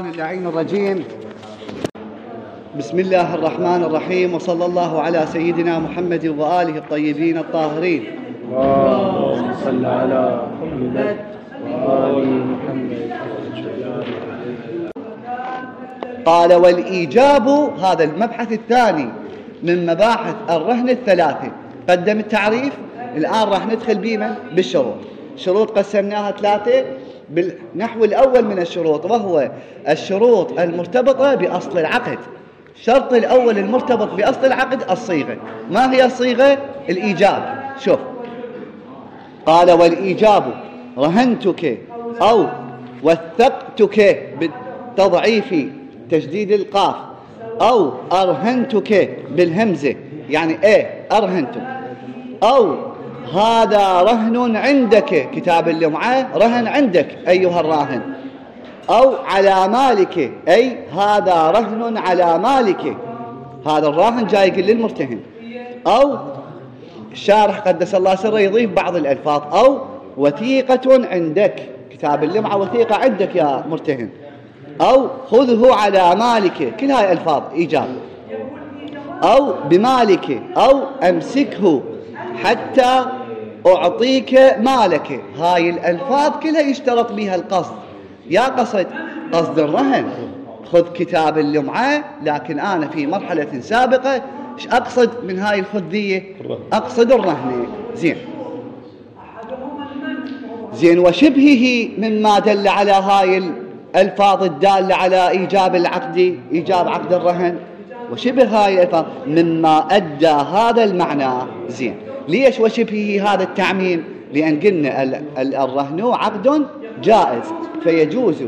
اللعين الرجيم. بسم الله الرحمن الرحيم، وصلى الله على سيدنا محمد وآله الطيبين الطاهرين. اللهم صل على محمد وآل محمد. قال: والإيجاب، هذا المبحث الثاني من مباحث الرهن الثلاثة. قدم التعريف، الآن راح ندخل بما بالشروط. شروط قسمناها ثلاثة بالنحو الأول من الشروط، وهو الشروط المرتبطة بأصل العقد. الشرط الأول المرتبط بأصل العقد الصيغة. ما هي الصيغة؟ الإيجاب. شوف، قال: والإيجاب رهنتك أو وثقتك بالتضعيف تشديد القاف، أو أرهنتك بالهمزة، يعني أرهنتك، أو هذا رهن عندك، كتاب اللمعة رهن عندك أيها الراهن، أو على مالك، أي هذا رهن على مالك، هذا الراهن جاي يقول للمرتهن. أو الشارح قدس الله سره يضيف بعض الألفاظ، أو وثيقة عندك، كتاب اللمعة وثيقة عندك يا مرتهن، أو خذه على مالك، كل هاي ألفاظ إيجاب. أو بمالك، أو أمسكه حتى أعطيك مالك. هاي الألفاظ كلها يشترط بها القصد. يا قصد الرهن، خذ كتاب اللمعة، لكن أنا في مرحلة سابقة إيش أقصد من هاي الخذية؟ أقصد الرهن. زين وشبهه مما دل على هاي الألفاظ الدالة على إيجاب العقد، إيجاب عقد الرهن، وشبه هاي الألفاظ مما أدى هذا المعنى. زين، ليش وشبهه هذا التعميم؟ لأن قلنا الرهن عقد جائز، فيجوز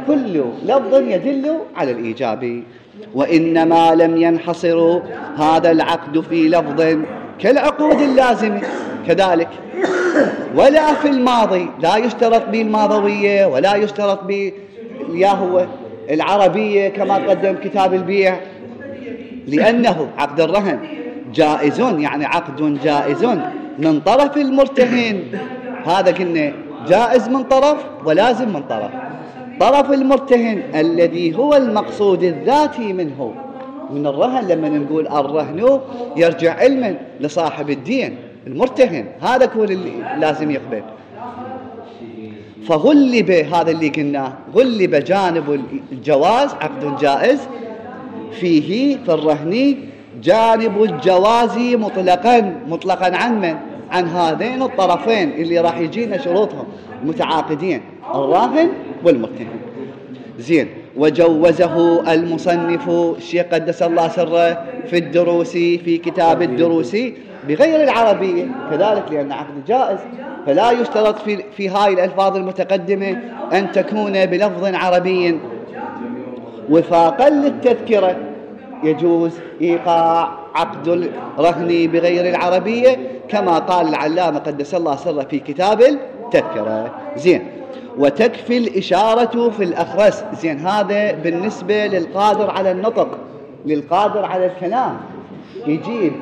كل لفظ يدل على الإيجاب. وإنما لم ينحصر هذا العقد في لفظ كالعقود اللازمة كذلك، ولا في الماضي، لا يشترط به الماضوية، ولا يشترط به هو العربية كما قدم كتاب البيع، لأنه عقد الرهن جائز، يعني عقد جائز من طرف المرتهن. هذا قلنا جائز من طرف ولازم من طرف. طرف المرتهن الذي هو المقصود الذاتي منه من الرهن. لما نقول الرهن يرجع علما لصاحب الدين المرتهن، هذا هو اللي لازم يقبل. فغلب، هذا اللي قلناه، غلب جانب الجواز، عقد جائز فيه في الرهن جانب الجواز مطلقا عن من؟ عن هذين الطرفين اللي راح يجينا شروطهم المتعاقدين، الراهن والمرتهن. زين، وجوزه المصنف الشيخ قدس الله سره في الدروس، في كتاب الدروس، بغير العربية كذلك، لأن عقد جائز، فلا يشترط في هاي الألفاظ المتقدمة أن تكون بلفظ عربي. وفاقا للتذكرة يجوز إيقاع عقد الرهن بغير العربية، كما قال العلامة قدس الله سره في كتاب التذكرة. زين، وتكفي الإشارة في الأخرس. زين، هذا بالنسبة للقادر على النطق، للقادر على الكلام، يجيب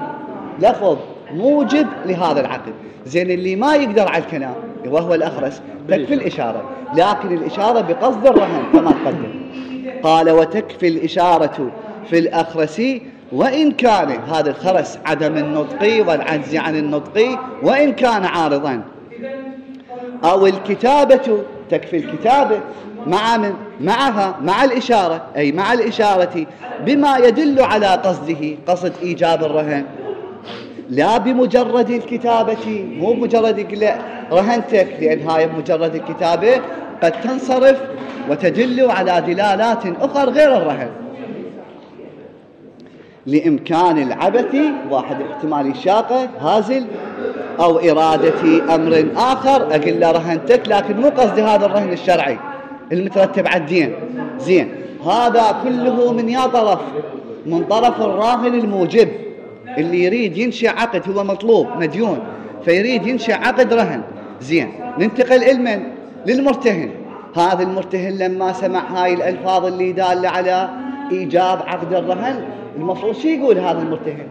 لفظ موجب لهذا العقد. زين، اللي ما يقدر على الكلام وهو الأخرس تكفي الإشارة، لكن الإشارة بقصد الرهن كما تقدم. قال: وتكفي الإشارة في الأخرس وإن كان، هذا الخرس عدم النطق والعجز عن النطق، وإن كان عارضا. أو الكتابة، تكفي الكتابة معها مع الإشارة، أي مع الإشارة بما يدل على قصده، قصد إيجاب الرهن، لا بمجرد الكتابة، مو مجرد رهنتك، لأن هاي مجرد الكتابة قد تنصرف وتدل على دلالات أخرى غير الرهن، لإمكان العبث، واحد احتمال الشاقة هازل، أو إرادة أمر آخر، أقول له رهنتك لكن مو قصد هذا الرهن الشرعي المترتب على الدين. زين، هذا كله من يا طرف؟ من طرف الراهن الموجب، اللي يريد ينشئ عقد، هو مطلوب مديون فيريد ينشئ عقد رهن. زين، ننتقل علما للمرتهن. هذا المرتهن لما سمع هاي الألفاظ اللي دالة على إيجاب عقد الرهن، المفروض شو يقول هذا المرتهن؟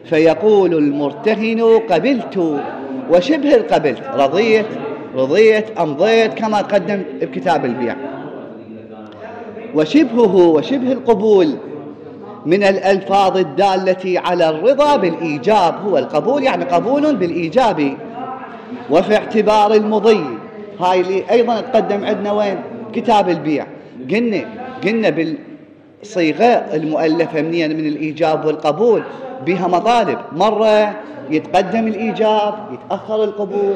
فيقول المرتهن: قبلت وشبه القبلت، رضيت أمضيت، كما قدم بكتاب البيع. وشبهه وشبه القبول من الألفاظ الدالة على الرضا بالإيجاب، هو القبول يعني قبول بالإيجاب. وفي اعتبار المضي، هاي اللي أيضا تقدم عندنا وين؟ كتاب البيع. قلنا بالصيغة المؤلفة من الإيجاب والقبول بها مطالب، مرة يتقدم الإيجاب يتأخر القبول،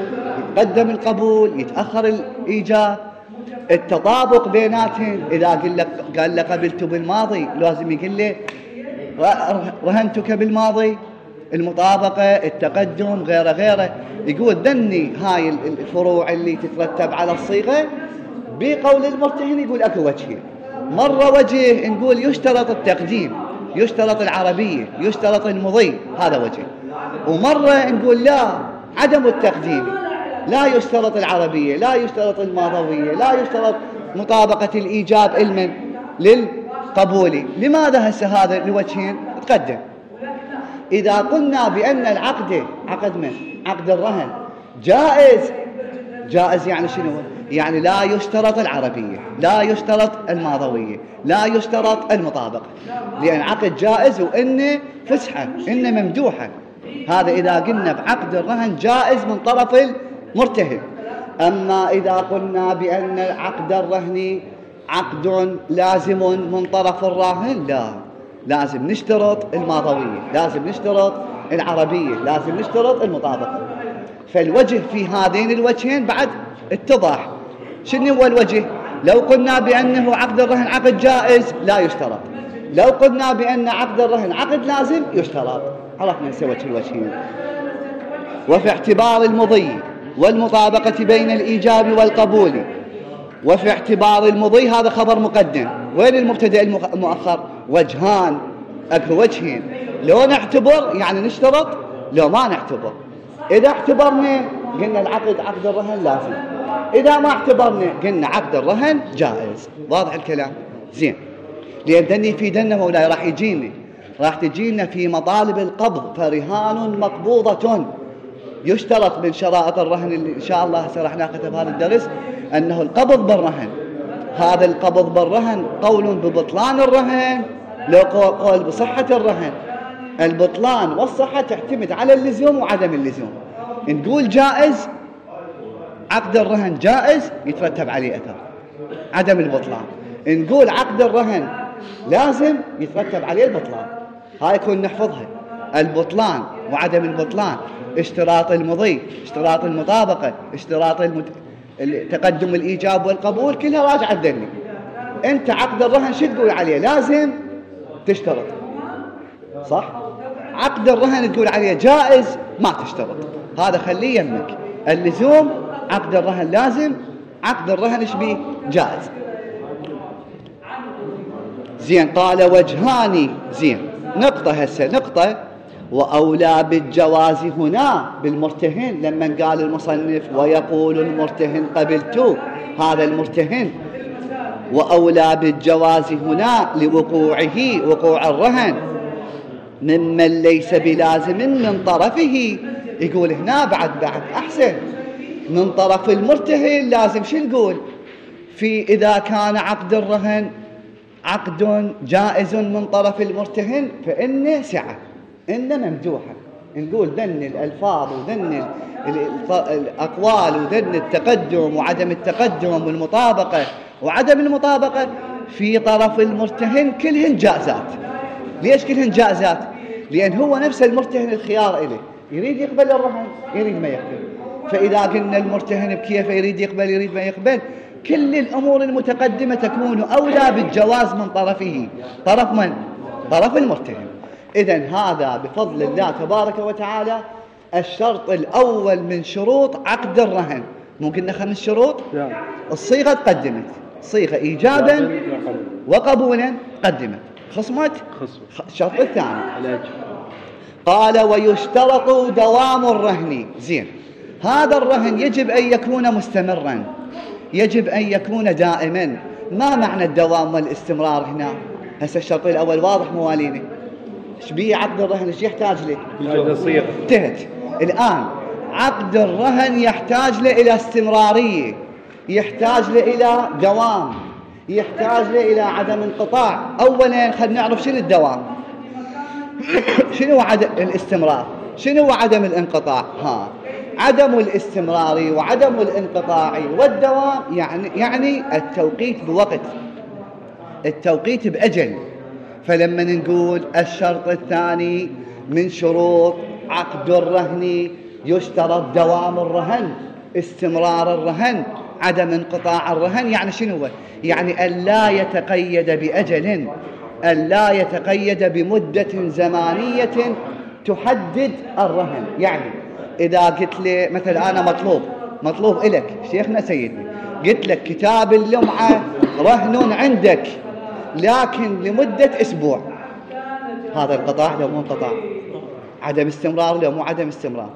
يتقدم القبول يتأخر الإيجاب. التطابق بيناتهم، إذا قال له قبلت بالماضي لازم يقول له رهنتك بالماضي. المطابقة، التقدم، غيره. يقول ذني هاي الفروع اللي تترتب على الصيغة بقول المرتهن. يقول أكو وجهين، مرة وجه نقول يشترط التقديم، يشترط العربية، يشترط المضي، هذا وجه. ومرة نقول لا، عدم التقديم، لا يشترط العربية، لا يشترط الماضوية، لا يشترط مطابقة الإيجاب علما للقبول. لماذا هسه هذا لوجهين تقدم؟ إذا قلنا بأن العقد عقد من؟ عقد الرهن جائز يعني شنو؟ يعني لا يشترط العربية، لا يشترط الماضوية، لا يشترط المطابقة، لأن عقد جائز وإنه فسحة، إنه ممدوحة. هذا إذا قلنا بعقد الرهن جائز من طرف المرتهن. أما إذا قلنا بأن عقد الرهن عقد لازم من طرف الراهن، لا، لازم نشترط الماضوية، لازم نشترط العربية، لازم نشترط المطابقة. فالوجه في هذين الوجهين بعد اتضح. شنو هو الوجه؟ لو قلنا بأنه عقد الرهن عقد جائز لا يشترط، لو قلنا بأن عقد الرهن عقد لازم يشترط. عرفنا نسوي الوجهين. وفي اعتبار المضي والمطابقة بين الإيجاب والقبول. وفي اعتبار المضي هذا خبر مقدم. وين المبتدأ المؤخر؟ وجهان، أكو وجهين. لو نعتبر يعني نشترط، لو ما نعتبر. إذا اعتبرنا قلنا العقد عقد الرهن لازم، إذا ما اعتبرنا قلنا عقد الرهن جائز. واضح الكلام؟ زين. لأن ذني في دنا مولاي راح تجينا في مطالب القبض. فرهان مقبوضة، يشترط من شرائط الرهن اللي إن شاء الله راح ناخذها بهذا الدرس أنه القبض بالرهن. هذا القبض بالرهن قول ببطلان الرهن، لو قول بصحة الرهن. البطلان والصحة تعتمد على اللزوم وعدم اللزوم. نقول جائز، عقد الرهن جائز، يترتب عليه أثر عدم البطلان. نقول عقد الرهن لازم، يترتب عليه البطلان. هاي يكون نحفظها، البطلان وعدم البطلان، اشتراط المضي، اشتراط المطابقة، اشتراط تقدم الإيجاب والقبول، كلها راجعة الذني. أنت عقد الرهن شو تقول عليه؟ لازم تشترط، صح؟ عقد الرهن تقول عليه جائز، ما تشترط. هذا خليه يمك. اللزوم عقد الرهن لازم، عقد الرهن ايش بيه؟ جائز. زين. قال وجهان. زين. نقطة وأولى بالجواز هنا بالمرتهن. لما قال المصنف ويقول المرتهن قبلت، هذا المرتهن. وأولى بالجواز هنا لوقوعه، وقوع الرهن، ممن ليس بلازم من طرفه. يقول هنا بعد أحسن، من طرف المرتهن لازم. شو نقول إذا كان عقد الرهن عقد جائز من طرف المرتهن فإنه سعة، إنه ممدوحة. نقول ذن الألفاظ وذن الأقوال وذن التقدم وعدم التقدم والمطابقة وعدم المطابقة في طرف المرتهن كلهن جائزات. ليش كلهن جائزات؟ لأن هو نفس المرتهن الخيار إليه، يريد يقبل الرهن يريد ما يقبل. فإذا قلنا المرتهن بكيف يريد يقبل يريد ما يقبل، كل الأمور المتقدمة تكون أولى بالجواز من طرفه. طرف من؟ طرف المرتهن. إذن هذا بفضل الله تبارك وتعالى الشرط الأول من شروط عقد الرهن. ممكن 5 شروط. الصيغة تقدمت، صيغة إيجابا وقبولا قدمت، خصمت الشرط الثاني. قال ويشترط دوام الرهن. زين. هذا الرهن يجب أن يكون مستمرا، يجب أن يكون دائما. ما معنى الدوام والاستمرار هنا؟ هسه الشرط الأول واضح مواليني. ايش بيه عقد الرهن؟ ايش يحتاج له؟ انتهت. الآن عقد الرهن يحتاج له إلى استمرارية، يحتاج له إلى دوام، يحتاج إلى عدم انقطاع. أولا خلينا نعرف شنو الدوام، شنو عدم الاستمرار، شنو عدم الانقطاع. عدم الاستمرار وعدم الانقطاع والدوام يعني التوقيت بوقت، التوقيت بأجل. فلما نقول الشرط الثاني من شروط عقد الرهن يشترط دوام الرهن، استمرار الرهن، عدم انقطاع الرهن. يعني شنو هو؟ يعني أن لا يتقيد بأجل، أن لا يتقيد بمدة زمانية تحدد الرهن. يعني إذا قلت لي مثلا أنا مطلوب إلك شيخنا سيدي، قلت لك كتاب اللمعة رهن عندك لكن لمدة أسبوع، هذا انقطاع لو مو انقطاع؟ عدم استمرار لو مو عدم استمرار؟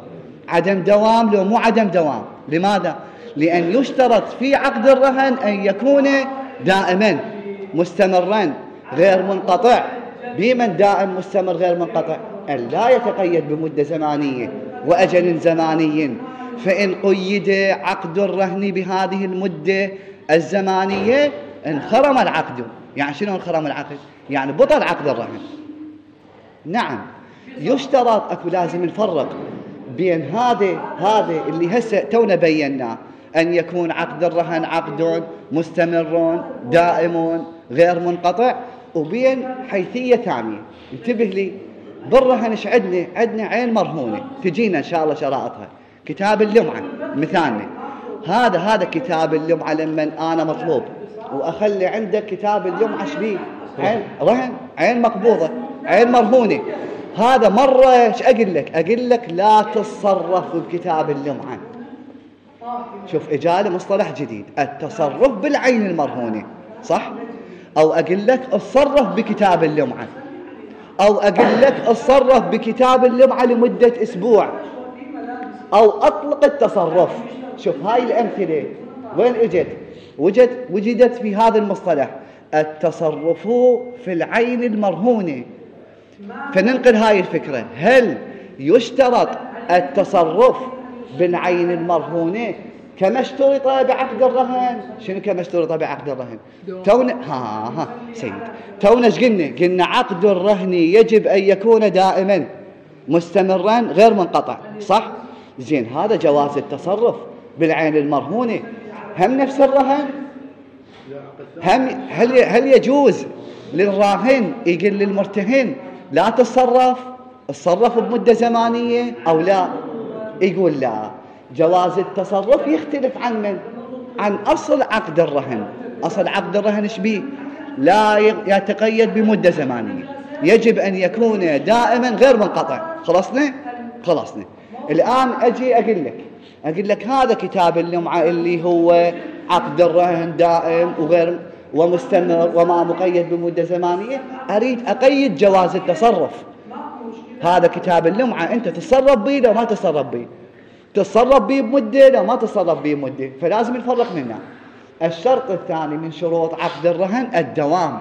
عدم دوام لو مو عدم دوام؟ لماذا؟ لأن يشترط في عقد الرهن أن يكون دائما مستمرا غير منقطع. بمن دائم مستمر غير منقطع؟ أن لا يتقيد بمدة زمانية وأجل زماني. فإن قيد عقد الرهن بهذه المدة الزمانية انخرم العقد. يعني شنو انخرم العقد؟ يعني بطل عقد الرهن. نعم يشترط، أكو لازم نفرق بين هذا اللي هسه تونا بيناه، أن يكون عقد الرهن عقد مستمر دائم غير منقطع، وبين حيثية ثانية. انتبه لي، بالرهن ايش عندنا عين مرهونة تجينا إن شاء الله شرائطها. كتاب اللمعة مثالنا، هذا كتاب اللمعة لما أنا مطلوب وأخلي عندك كتاب اللمعة شبيه؟ عين رهن، عين مقبوضة، عين مرهونة. هذا مرة ايش أقول لك لا تتصرف بكتاب اللمعة. شوف إجالة مصطلح جديد، التصرف بالعين المرهونة، صح؟ أو أقول لك اتصرف بكتاب اللمعة، أو أقول لك اتصرف بكتاب اللمعة لمدة أسبوع، أو أطلق التصرف. شوف هاي الأمثلة وين وجدت في هذا المصطلح، التصرف في العين المرهونة. فننقل هاي الفكرة، هل يشترط التصرف بالعين المرهونة كما اشترط بعقد الرهن؟ شنو كما اشترط بعقد الرهن؟ تونا ايش قلنا عقد الرهن يجب أن يكون دائما مستمرا غير منقطع، صح؟ زين، هذا جواز التصرف بالعين المرهونة. هم نفس الرهن، هل يجوز للراهن يقول للمرتهن لا تصرف بمدة زمانية أو لا؟ يقول لا. جواز التصرف يختلف عن أصل عقد الرهن. أصل عقد الرهن ايش بيه؟ لا يتقيد بمدة زمانية، يجب أن يكون دائما غير منقطع. خلصنا. الآن أجي أقول لك هذا كتاب اللمعة اللي هو عقد الرهن دائم وغير ومستمر وما مقيد بمدة زمانية، أريد أقيد جواز التصرف. هذا كتاب اللمعة أنت تتصرف به لو ما تتصرف به، تتصرف به بمدة لو ما تتصرف به بمدة، فلازم نفرق منها. الشرط الثاني من شروط عقد الرهن الدوام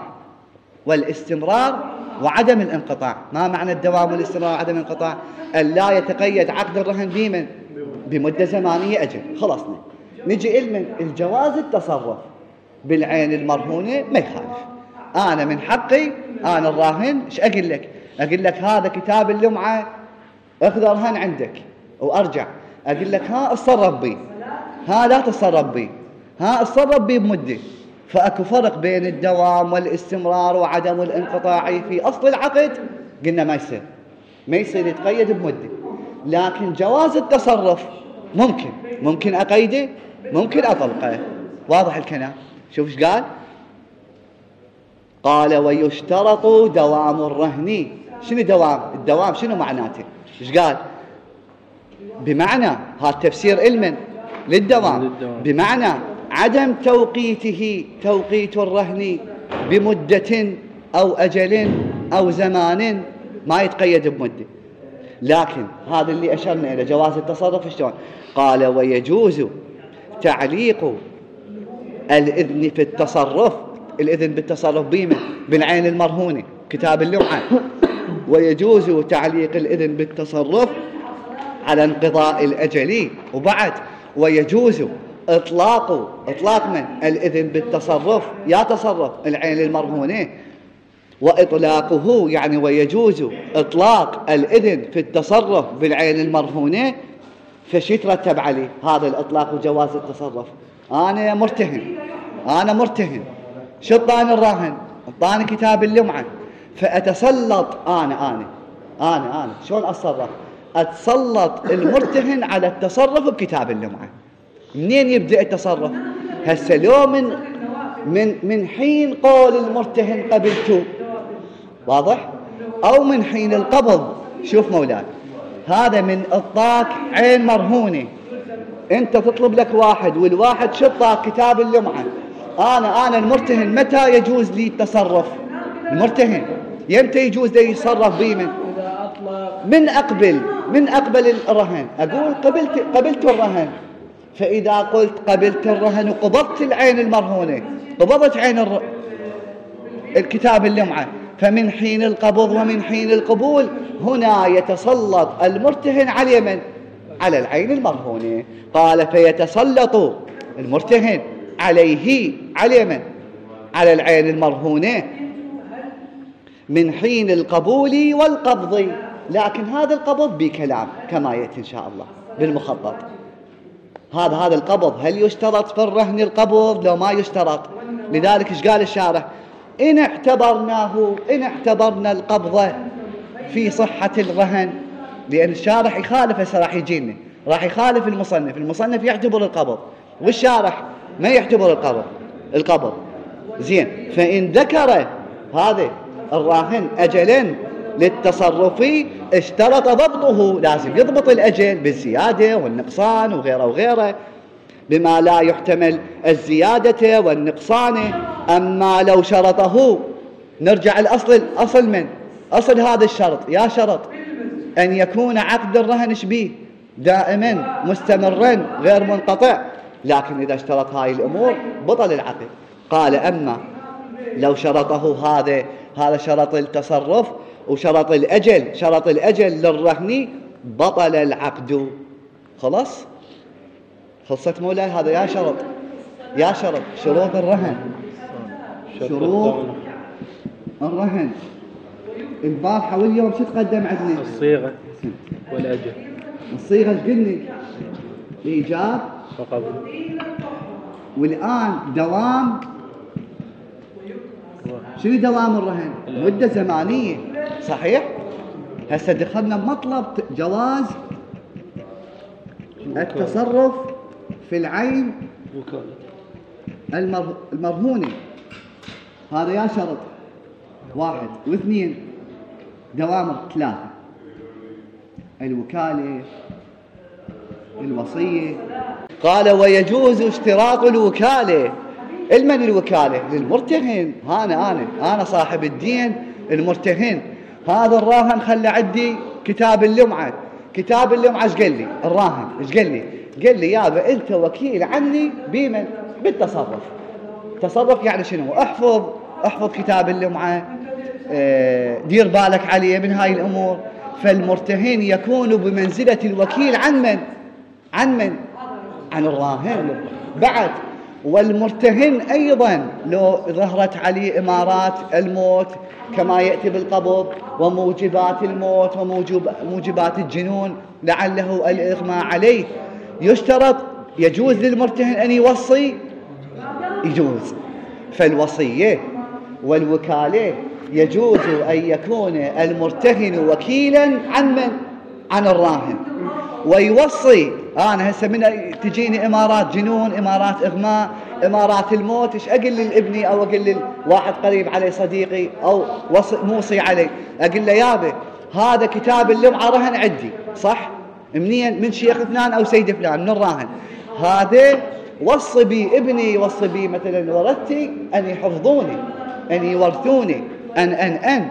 والاستمرار وعدم الانقطاع. ما معنى الدوام والاستمرار وعدم الانقطاع؟ أن لا يتقيد عقد الرهن بمدة زمانية أجل. خلصنا. نجي إلمن الجواز التصرف بالعين المرهونة ما يخالف. أنا من حقي أنا الراهن إيش أقول لك هذا كتاب اللمعة أخذ رهن عندك وأرجع أقول لك اتصرف بي، لا تتصرف بي، اتصرف بي بمدة. فأكو فرق بين الدوام والاستمرار وعدم الانقطاع في أصل العقد. قلنا ما يصير يتقيد بمدة، لكن جواز التصرف ممكن أقيده، ممكن أطلقه. واضح الكلام؟ شوف ايش قال ويشترط دوام الرهن. شنو الدوام شنو معناته؟ ايش قال؟ بمعنى هذا تفسير للدوام بمعنى عدم توقيت الرهن بمدة أو أجل أو زمان، ما يتقيد بمدة. لكن هذا اللي أشرنا إلى جواز التصرف شلون؟ قال ويجوز تعليق الإذن في التصرف، الإذن بالتصرف بالعين المرهونة كتاب اللمعة، ويجوز تعليق الإذن بالتصرف على انقضاء الأجل، وبعد ويجوز إطلاق من الإذن بالتصرف، يا تصرف العين المرهونة، وإطلاقه يعني ويجوز إطلاق الإذن في التصرف بالعين المرهونة، فشي يترتب عليه هذا الإطلاق وجواز التصرف؟ أنا مرتهن شو اعطاني الراهن؟ اعطاني كتاب اللمعة، فأتسلط أنا شلون أتصرف؟ أتسلط المرتهن على التصرف بكتاب اللمعة. منين يبدأ التصرف؟ هسه لو من حين قول المرتهن قبلته، واضح؟ أو من حين القبض. شوف مولاي، هذا من إعطاك عين مرهونة، أنت تطلب لك واحد، والواحد شطاك كتاب اللمعة. أنا المرتهن متى يجوز لي التصرف؟ المرتهن يمتى يجوز لي يتصرف بي؟ من أقبل الرهن. أقول قبلت الرهن، فإذا قلت قبلت الرهن وقبضت العين المرهونة، قبضت عين الكتاب اللمعة، فمن حين القبض ومن حين القبول هنا يتسلط المرتهن على من؟ على العين المرهونة. قال فيتسلط المرتهن عليه على من؟ على العين المرهونة من حين القبول والقبض. لكن هذا القبض بكلام كما يأتي إن شاء الله بالمخطط. هذا القبض هل يشترط في الرهن القبض لو ما يشترط؟ لذلك ايش قال الشارح؟ إن اعتبرنا القبض في صحة الرهن، لأن الشارح يخالف، هسه راح يخالف المصنف يعتبر القبض والشارح ما يعتبر القبض. زين، فإن ذكر هذا الراهن أجلا للتصرف اشترط ضبطه، لازم يضبط الأجل بالزيادة والنقصان وغيره بما لا يحتمل الزيادة والنقصان. أما لو شرطه، نرجع الأصل، أصل هذا الشرط، يا شرط أن يكون عقد الرهن شبيه دائما مستمرا غير منقطع، لكن إذا اشترط هاي الأمور بطل العقد. قال أما لو شرطه هذا شرط التصرف وشرط الأجل للرهن، بطل العقد. خلصت مولاي؟ هذا يا شرط شروط الرهن. البارحة واليوم شو تقدم عندنا؟ الصيغة والأجل. الصيغة ايش قلنا؟ إيجاب وقبول. والآن دوام. شنو دوام الرهن؟ مدة زمانية، صحيح؟ هسه دخلنا بمطلب جواز التصرف في العين المرهونة. هذا يا شرط 1 و2. دوام 3: الوكالة، الوصية. قال ويجوز اشتراط الوكالة. المن الوكالة؟ للمرتهن. أنا صاحب الدين المرتهن. هذا الراهن خلى عندي كتاب اللمعة ايش قال لي الراهن؟ ايش قال لي؟ قال لي يابا انت وكيل عني بمن؟ بالتصرف. تصرف يعني شنو؟ احفظ كتاب اللمعة، دير بالك عليه من هاي الامور. فالمرتهن يكون بمنزلة الوكيل عن من؟ عن الراهن. بعد والمرتهن أيضا لو ظهرت عليه إمارات الموت كما يأتي بالقبض، وموجبات الموت وموجبات الجنون لعله الإغماء عليه، يجوز للمرتهن أن يوصي، يجوز. فالوصية والوكالة يجوز أن يكون المرتهن وكيلا عن من؟ عن الراهن، ويوصي. أنا هسه من تجيني إمارات جنون، إمارات إغماء، إمارات الموت، إيش أقول لابني أو أقول لواحد قريب علي صديقي أو موصي علي، أقول له يابا هذا كتاب اللمعة رهن عندي، صح؟ منين؟ من شيخ فلان أو سيد فلان من الراهن. هذا وصي بي ابني، وصي بي مثلا ورثتي أن يحفظوني، أن يورثوني، أن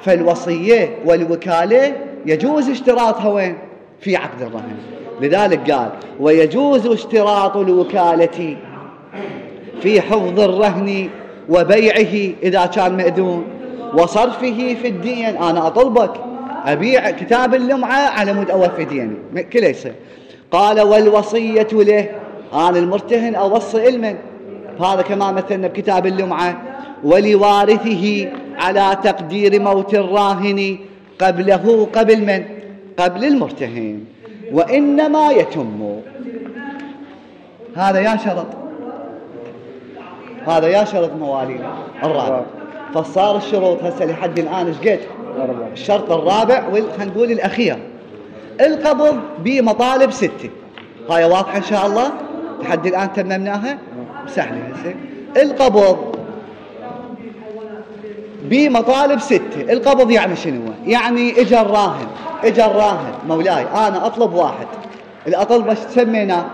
فالوصية والوكالة يجوز اشتراطها وين؟ في عقد الرهن. لذلك قال ويجوز اشتراط الوكالة في حفظ الرهن وبيعه إذا كان مأذون، وصرفه في الدين. أنا أطلبك أبيع كتاب اللمعة على مود أوفي ديني كله يصير. قال والوصية له أنا المرتهن أوصي المن. هذا كما مثلنا بكتاب اللمعة: ولوارثه على تقدير موت الراهن قبله، قبل من؟ قبل المرتهن، وإنما يتم. هذا يا شرط، هذا يا شرط موالينا الرابع. فصار الشروط هسه لحد الآن ايش قد؟ الشرط الرابع خلينا نقول الأخير، القبض بمطالب 6. هاي واضحة إن شاء الله؟ لحد الآن تممناها؟ سهلة هسه. القبض بمطالب 6. القبض يعني شنو؟ يعني اجى الراهن مولاي أنا أطلب واحد، اللي أطلبه سميناه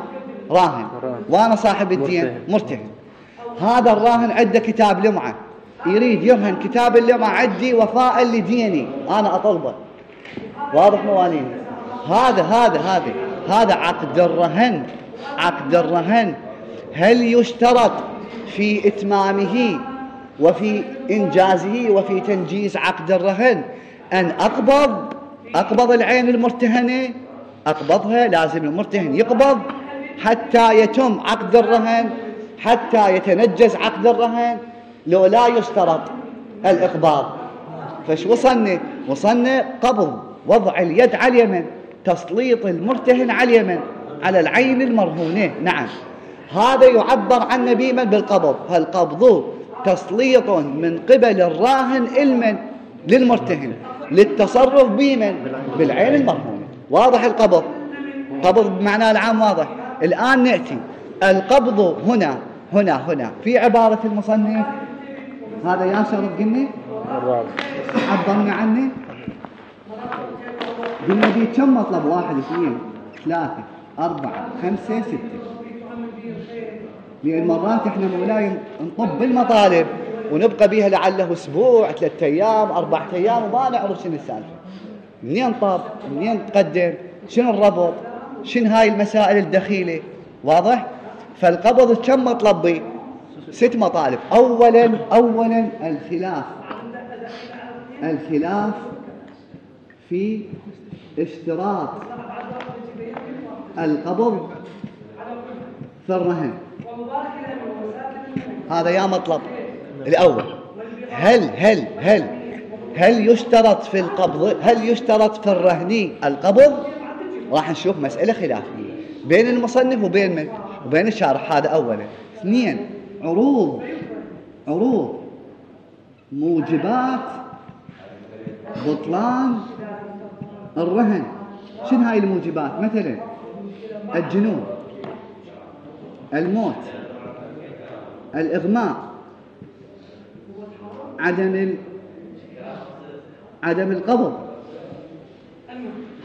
راهن، وأنا صاحب الدين مرتهن. هذا الراهن عنده كتاب لمعة، يريد يرهن كتاب اللمعة عندي وفاء لديني أنا أطلبه. واضح مواليني؟ هذا عقد الرهن. عقد الرهن هل يشترط في إتمامه وفي إنجازه وفي تنجيز عقد الرهن أن أقبض العين المرتهنة؟ أقبضها، لازم المرتهن يقبض حتى يتم عقد الرهن، حتى يتنجز عقد الرهن، لو لا يشترط الإقباض. فش وصلنا قبض، وضع اليد على اليمن، تسليط المرتهن على اليمن على العين المرهونة. نعم، هذا يعبر عنه بمن؟ بالقبض. هالقبض تسليط من قبل الراهن المن للمرتهن للتصرف بمن؟ بالعين المرهونة. واضح القبض؟ قبض بمعنى العام واضح. الآن نأتي القبض هنا في عبارة المصنف. هذا يا شرط قلنا عبرنا عنه، قلنا بيه كم مطلب؟ 1 2 3 4 5 6. لأن مرات احنا مولاي نطب بالمطالب ونبقى بيها لعله اسبوع 3 أيام 4 أيام وما نعرف شنو السالفة، منين طب منين تقدم، شنو الربط، شنو هاي المسائل الدخيلة. واضح؟ فالقبض كم مطلب بيه؟ 6 مطالب. أولا الخلاف في اشتراط القبض في الرهن. هذا يا مطلب الأول. هل يشترط في القبض، هل يشترط في الرهن القبض؟ راح نشوف مسألة خلافية بين المصنف وبين من؟ وبين الشارح. هذا أولا. 2 عروض موجبات بطلان الرهن. شنو هاي الموجبات؟ مثلا الجنون، الموت، الإغماء، عدم القبض.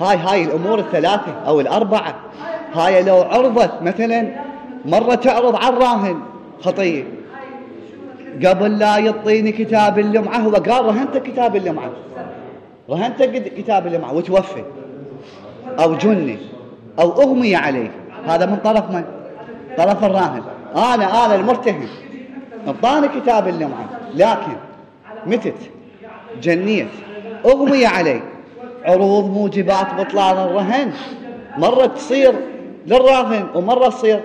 هاي الأمور الثلاثة أو الأربعة. هاي لو عرضت مثلا مرة تعرض على الراهن خطية، قبل لا يعطيني كتاب اللمعة هو قال رهنت كتاب اللمعة، رهنت كتاب اللمعة وتوفي أو جني أو أغمي عليه. هذا من طرف من؟ طرف الراهن. أنا المرتهن أعطاني كتاب اللمعة، لكن متت جنيت أغمي عليه. عروض موجبات بطلان الرهن مرة تصير للراهن ومرة تصير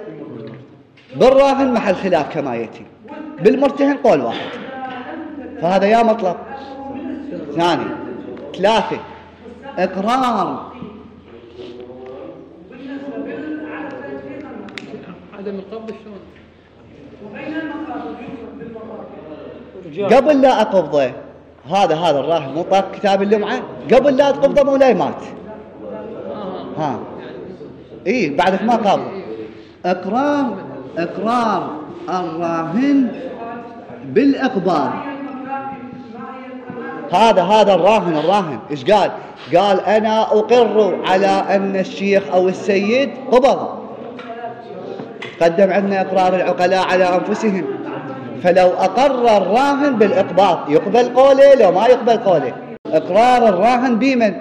بالراهن، محل خلاف كما يأتي. بالمرتهن قول واحد. فهذا يا مطلب. 2 3 إقرار عدم القبض. شلون قبل لا أقبضه؟ هذا الراهن مو طاق كتاب اللمعة، قبل لا تقبضه مولاي مات. بعدك ما قابض. إقرار الراهن بالإقباض. هذا الراهن إيش قال؟ قال أنا أقر على أن الشيخ أو السيد قبض. قدم عندنا إقرار العقلاء على أنفسهم. فلو أقر الراهن بالإقباض يقبل قوله، لو ما يقبل قوله. إقرار الراهن بمن؟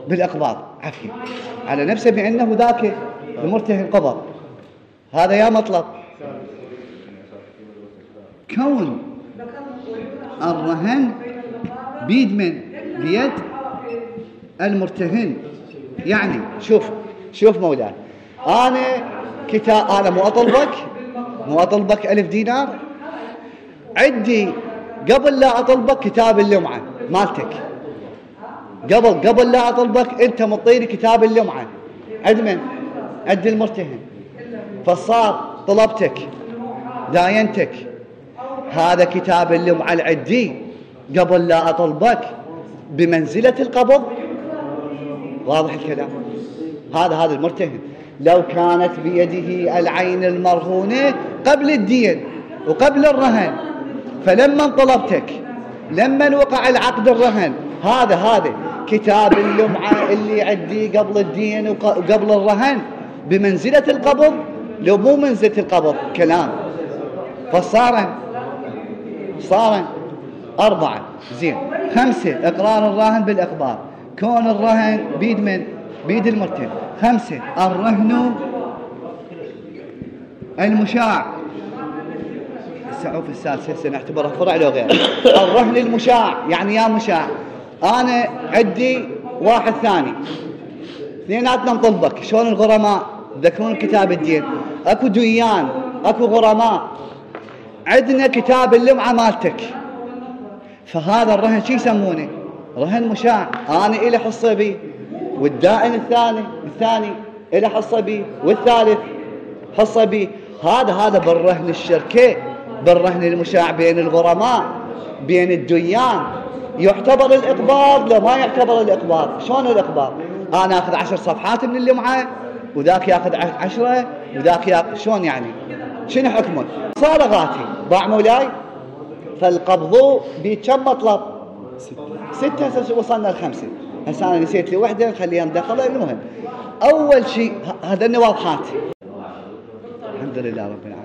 بالإقباض. عفوا على نفسه بأنه ذاك المرتهن قبض. هذا يا مطلب. كون الرهن بيد من؟ بيد المرتهن. يعني شوف مولاي، أنا كتاب، أنا مو أطلبك 1000 دينار، عندي قبل لا أطلبك كتاب اللمعة مالتك، قبل لا أطلبك أنت مطيني كتاب اللمعة، عند من؟ عند المرتهن. فصار طلبتك داينتك هذا كتاب اللمعة العدي قبل لا أطلبك بمنزلة القبض. واضح الكلام؟ هذا المرتهن لو كانت بيده العين المرهونة قبل الدين وقبل الرهن، فلما طلبتك لما وقع العقد الرهن هذا كتاب اللمعة اللي عندي قبل الدين وقبل الرهن بمنزلة القبض لو مو منزلة القبض كلام. فصار 4 زين 5 إقرار الراهن بالإقبال، كون الرهن بيد من؟ بيد المرتهن. 5 الرهن المشاع، السعوف السادسة سنعتبرها فرع لو غير. الرهن المشاع يعني يا مشاع أنا عندي واحد ثاني، اثنيناتنا نطلبك، شلون الغرماء تذكرون كتاب الدين، اكو ديان اكو غرماء، عندنا كتاب اللمعة مالتك، فهذا الرهن شو يسمونه؟ رهن مشاع، أنا إلي حصة بي والدائن الثاني إلي حصة بي والثالث حصة بي. هذا بالرهن الشركة، بالرهن المشاع بين الغرماء بين الديان يعتبر الإقباض لو ما يعتبر الإقباض. شلون الإقباض؟ أنا أخذ 10 صفحات من اللمعة وذاك يأخذ 10 وذاك يأخذ، شلون يعني؟ شنو حكمه؟ صالغاتي باع مولاي، فالقبض بكم مطلب؟ 6. هسه وصلنا ل5. هسه أنا نسيت لي وحدة نخليها ندخلها. المهم أول شيء هذا واضحات. الحمد لله رب العالمين.